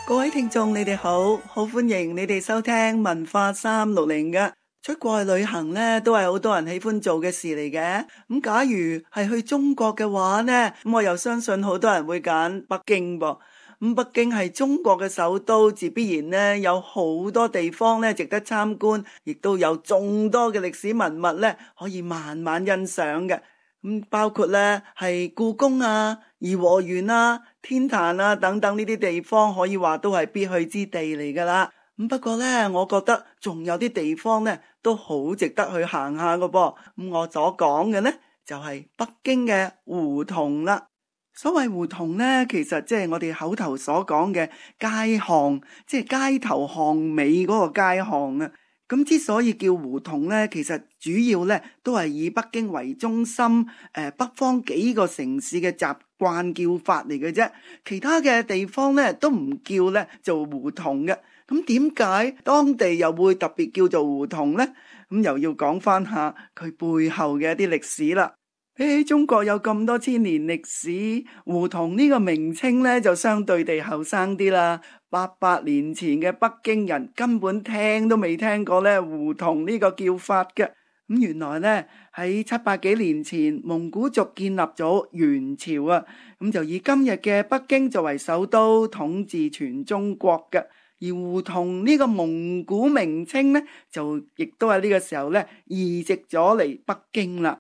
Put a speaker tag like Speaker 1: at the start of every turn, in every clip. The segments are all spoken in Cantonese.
Speaker 1: 各位聽眾，你哋好，好歡迎你哋收聽文化360嘅。出國去旅行呢，都係好多人喜歡做嘅事嚟嘅。咁假如係去中國嘅話呢，咁我又相信好多人會揀北京噃。咁北京係中國嘅首都，自必然呢有好多地方呢值得參觀，亦都有眾多嘅歷史文物呢可以慢慢欣賞嘅。包括呢係故宮啊、頤和園啊、天壇啊等等呢啲地方，可以話都係必去之地嚟噶啦。不過呢，我覺得仲有啲地方呢都好值得去行下噶噃。我所講嘅呢就係北京嘅胡同啦。所謂胡同呢，其實即係我哋口頭所講嘅街巷，即係街頭巷尾嗰個街巷啊。咁之所以叫胡同呢，其實主要呢都係以北京為中心，北方幾個城市嘅習慣叫法嚟嘅啫。其他嘅地方呢都唔叫呢做胡同嘅。咁點解當地又會特別叫做胡同呢？咁又要講翻下佢背後嘅一啲歷史啦。比起中國有咁多千年歷史，胡同呢個名稱呢就相對地後生啲啦。800年前嘅北京人根本聽都未聽過呢胡同呢個叫法嘅。原來呢喺700幾年前，蒙古族建立咗元朝啊，咁就以今日嘅北京作為首都，統治全中國嘅。而胡同呢個蒙古名稱呢，就亦都喺呢個時候呢移植咗嚟北京啦。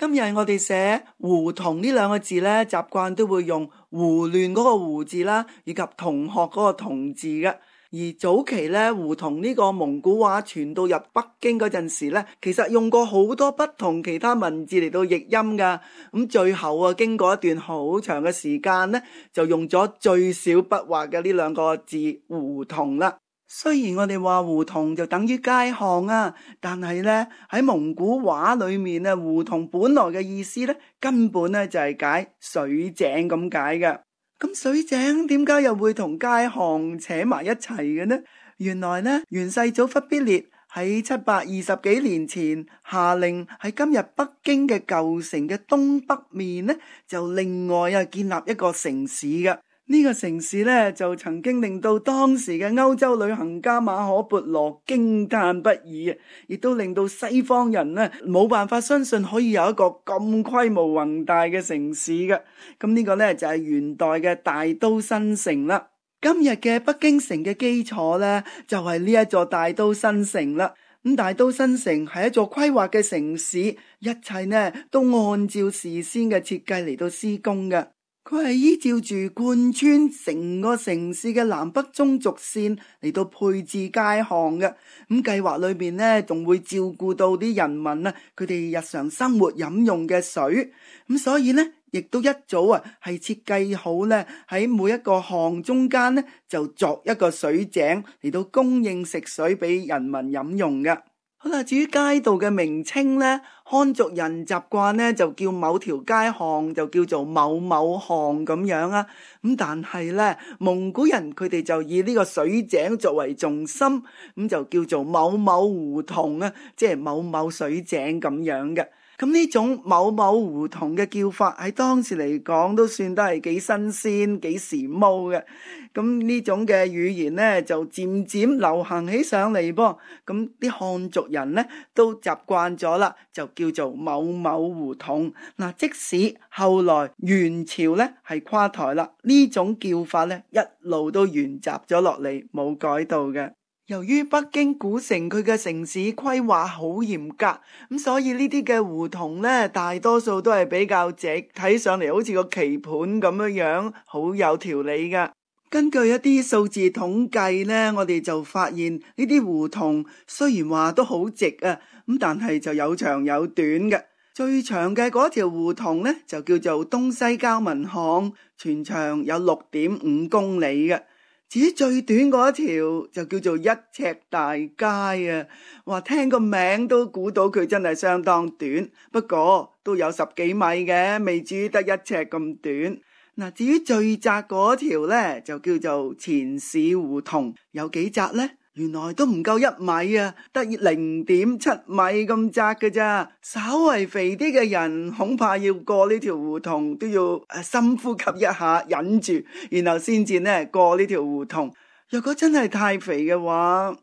Speaker 1: 今日我哋寫胡同呢兩個字呢，習慣都會用胡亂嗰個胡字啦，以及同學嗰個同字嘅。而早期呢，胡同呢個蒙古話傳到入北京嗰陣時呢，其實用過好多不同其他文字嚟到譯音噶。咁最後啊，經過一段好長嘅時間呢，就用咗最少筆畫嘅呢兩個字胡同啦。雖然我哋話胡同就等於街巷啊，但係呢喺蒙古話裏面啊，胡同本來嘅意思呢，根本呢就係解水井咁解嘅。咁水井點解又會同街巷扯埋一齊嘅呢？原來呢，元世祖忽必烈喺720幾年前下令喺今日北京嘅舊城嘅東北面呢，就另外建立一個城市嘅。呢個城市呢，就曾經令到當時嘅歐洲旅行家馬可孛羅驚嘆不已，亦都令到西方人呢冇辦法相信可以有一個咁規模宏大嘅城市嘅。咁呢個呢，就係元代嘅大都新城啦。今日嘅北京城嘅基礎呢，就係呢一座大都新城啦。咁大都新城係一座規劃嘅城市，一切呢都按照事先嘅設計嚟到施工嘅。佢係依照住貫穿成個城市嘅南北中軸線嚟到配置街巷嘅。咁計劃裏邊呢，仲會照顧到啲人民啊，佢哋日常生活飲用嘅水。咁所以呢，亦都一早係設計好呢，喺每一個巷中間呢，就鑿一個水井嚟到供應食水俾人民飲用嘅。好啦，至於街道嘅名稱呢，漢族人習慣呢就叫某條街巷就叫做某某巷咁樣啊。咁但係呢，蒙古人佢哋就以呢個水井作為重心，咁就叫做某某胡同啊，即係某某水井咁樣嘅。咁呢種某某胡同嘅叫法喺當時嚟講都算得係幾新鮮幾時髦嘅。咁呢種嘅語言呢就漸漸流行起上嚟噃。咁啲漢族人呢都習慣咗啦，就叫做某某胡同。嗱，即使後來元朝呢係垮台啦，呢種叫法呢一路都沿襲咗落嚟，冇改到嘅。由於北京古城佢嘅城市規劃好嚴格，咁所以呢啲嘅胡同呢，大多數都係比較直，睇上嚟好似個棋盤咁樣，好有條理噶。根據一啲數字統計呢，我哋就發現呢啲胡同雖然話都好直啊，咁但係就有長有短嘅。最長嘅嗰條胡同呢，就叫做東西交民巷，全長有6.5公里嘅。至於最短嗰條就叫做一尺大街啊！哇，聽個名都估到佢真係相當短，不過都有10幾米嘅，未至於得1尺咁短。嗱，至於最窄嗰條呢，就叫做前市胡同，有幾窄呢原來都唔夠1米啊，得0.7米咁窄嘅咋。稍為肥啲嘅人恐怕要過呢條胡同都要深呼吸一下，忍住，然後先至呢過呢條胡同。若果真係太肥嘅話，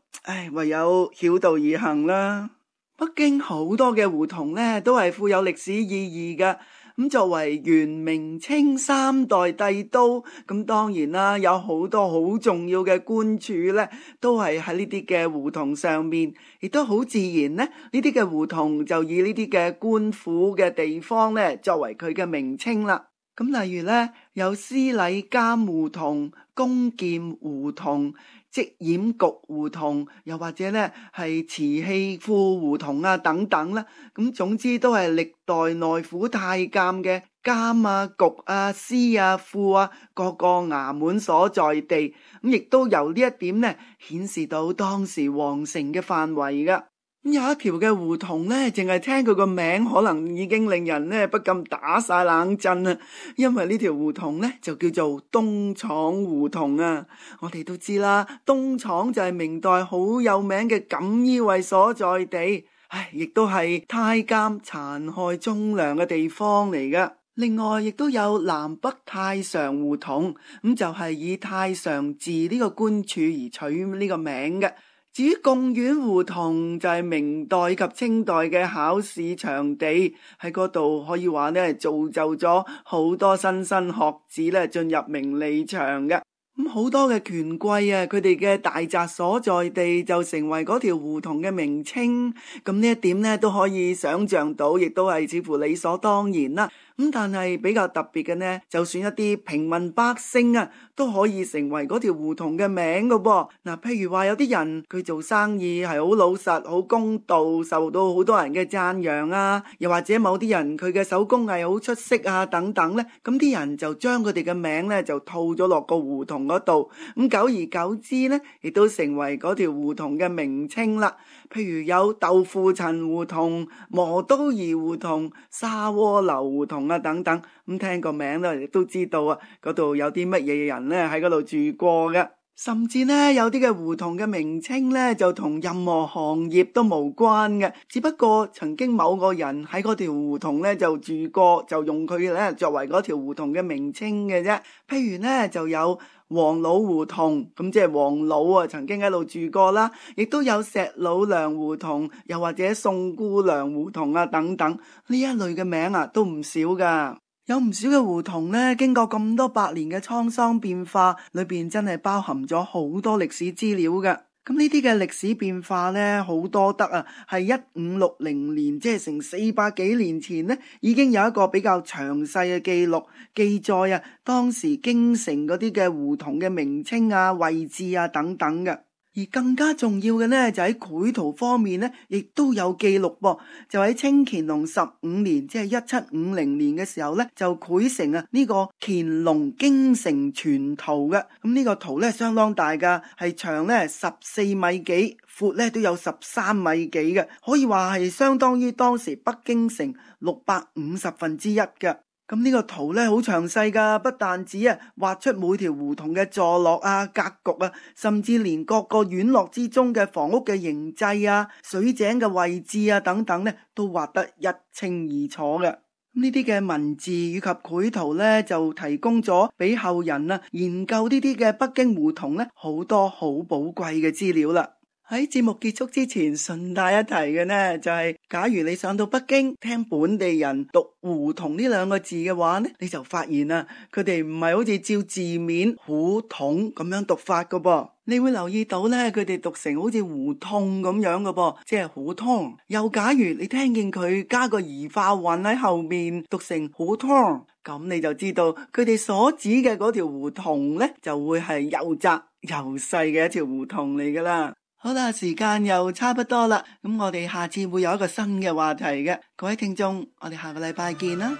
Speaker 1: 唯有繞道而行啦。北京好多嘅胡同呢都係富有歷史意義嘅。咁作為元明清3代帝都，咁當然啦，有好多好重要嘅官署呢都係喺呢啲嘅胡同上面，亦都好自然呢啲嘅胡同就以呢啲嘅官府嘅地方呢作為佢嘅名稱啦。咁例如呢，有司禮監胡同、弓劍胡同、織染局胡同，又或者呢係瓷器庫胡同啊等等啦。咁總之都係歷代內府太監嘅監啊、局啊、司啊、庫啊各個衙門所在地。咁亦都由呢一點呢顯示到當時皇城嘅範圍噶。有一條嘅胡同呢，淨係聽佢個名可能已經令人呢不禁打晒冷震啦。因為呢條胡同呢就叫做東廠胡同啊。我哋都知啦，東廠就係明代好有名嘅錦衣衛所在地，亦都係太監殘害忠良嘅地方嚟噶。另外亦都有南北太常胡同，咁就係以太常寺呢個官署而取呢個名嘅。至於貢院胡同就係明代及清代嘅考試場地，喺嗰度可以話呢造就咗好多莘莘學子呢進入名利場嘅。咁好多嘅權貴啊，佢哋嘅大宅所在地就成為嗰條胡同嘅名稱。咁呢一點呢都可以想象到，亦都係似乎理所當然啦。咁但係比較特別嘅呢，就算一啲平民百姓啊，都可以成為嗰條胡同嘅名噶噃。嗱，譬如話有啲人佢做生意係好老實、好公道，受到好多人嘅讚揚啊，又或者某啲人佢嘅手工藝好出色啊等等呢，咁啲人就將佢哋嘅名呢就套咗落個胡同嗰度。咁久而久之呢，亦都成為嗰條胡同嘅名稱啦。譬如有豆腐陳胡同、磨刀兒胡同、沙鍋樓胡同啊等等，咁聽個名咧，亦都知道啊，嗰度有啲乜嘢人咧喺嗰度住過嘅。甚至呢，有啲嘅胡同嘅名稱呢，就同任何行業都無關嘅，只不過曾經某個人喺嗰條胡同呢就住過，就用佢呢作為嗰條胡同嘅名稱嘅啫。譬如呢，就有王老胡同，咁即係王老啊曾經喺度住過啦，亦都有石老娘胡同，又或者宋姑娘胡同啊等等，呢一類嘅名啊都唔少噶。有唔少嘅胡同呢，經過咁多百年嘅滄桑變化，裏邊真係包含咗好多歷史資料嘅。咁呢啲嘅歷史變化呢，好多得啊，係1560年，即係成400幾年前呢，已經有一個比較詳細嘅記錄記載啊，當時京城嗰啲嘅胡同嘅名稱啊、位置啊等等嘅。而更加重要嘅呢，就喺繪圖方面呢，亦都有記錄噃。就喺清乾隆15年，即係1750年嘅時候呢，就繪成啊呢個乾隆京城全圖嘅。咁呢個圖呢，相當大噶，係長呢14米幾，闊呢都有13米幾嘅，可以話係相當於當時北京城1/650嘅。咁呢個圖呢，好詳細噶，不但止畫出每條胡同嘅坐落啊、格局啊，甚至連各個院落之中嘅房屋嘅形制啊、水井嘅位置啊等等呢，都畫得一清二楚嘅。呢啲嘅文字以及繪圖呢，就提供咗俾後人研究呢啲嘅北京胡同呢，好多好寶貴嘅資料啦。喺節目結束之前，順帶一提嘅呢，就係假如你上到北京聽本地人讀胡同呢2個字嘅話呢，你就發現啦，佢哋唔係好似照字面胡同咁樣讀法噶噃。你會留意到呢，佢哋讀成好似胡同咁樣噶噃，即係胡同。又假如你聽見佢加個兒化韻喺後面，讀成胡同，咁你就知道佢哋所指嘅嗰條胡同呢，就會係又窄又細嘅一條胡同嚟噶啦。好啦，時間又差不多啦，咁我哋下次會有一個新嘅話題嘅，各位聽眾，我哋下個禮拜見啦。